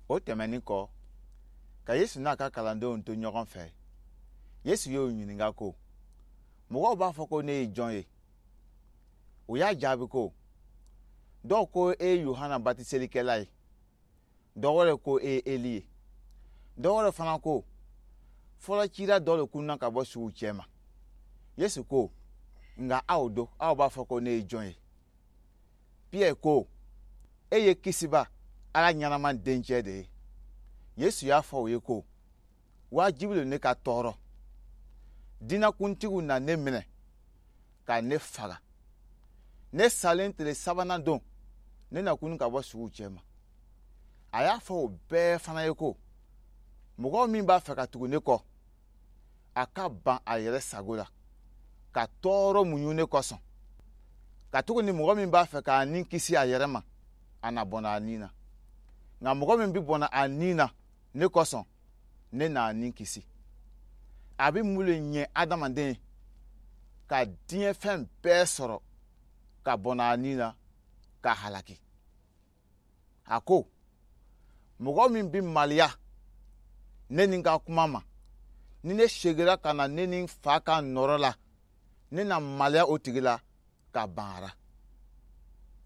O tɛmɛnin kɔ, ka Yesu n'a ka kalandenw to ɲɔgɔn fɛ, Yesu y'o ɲininka ko, mɔgɔw b'a fɔ ko ne ye jɔn ye? U y'a jaabi ko, dɔw ko e ye Yohana batiselikɛla ye, dɔ wɛrɛ ko e ye Eli ye, dɔ wɛrɛ fana ko fɔlɔ cira dɔ de kunna ka bɔ suw cɛma. Yesu ko, nka aw don, aw b'a fɔ ko ne ye jɔn ye? Piyɛri ko, e ye Kisiba, Ala ɲɛnama dencɛ de ye. Yesu y'a fɔ u ye ko, wajibi don ne ka tɔɔrɔ, diinɛkuntigiw na ne minɛ ka ne faga, ne salen tile sabanan don, ne na kunun ka bɔ suw cɛma. A y'a fɔ o bɛɛ fana ye ko, mɔgɔ min b'a fɛ ka tugu ne kɔ, a ka ban a yɛrɛ sago la, ka tɔɔrɔ muɲu ne kosɔn. Katuguni mɔgɔ min b'a fɛ k'a ni kisi a yɛrɛ ma, a na bɔnɛ a ni na, nka mɔgɔ min bɛ bɔnɛ a ni na ne kosɔn, ne n'a ni kisi. A bɛ mun le ɲɛ adamaden ye ka diɲɛ fɛn bɛɛ sɔrɔ ka bɔnɛ a ni na ka halaki? A ko, mɔgɔ min bɛ maloya ne ni n ka kuma ma, ni ne segira ka na ne ni n fa ka nɔrɔ la, ne na maloya o tigi la ka ban a ra.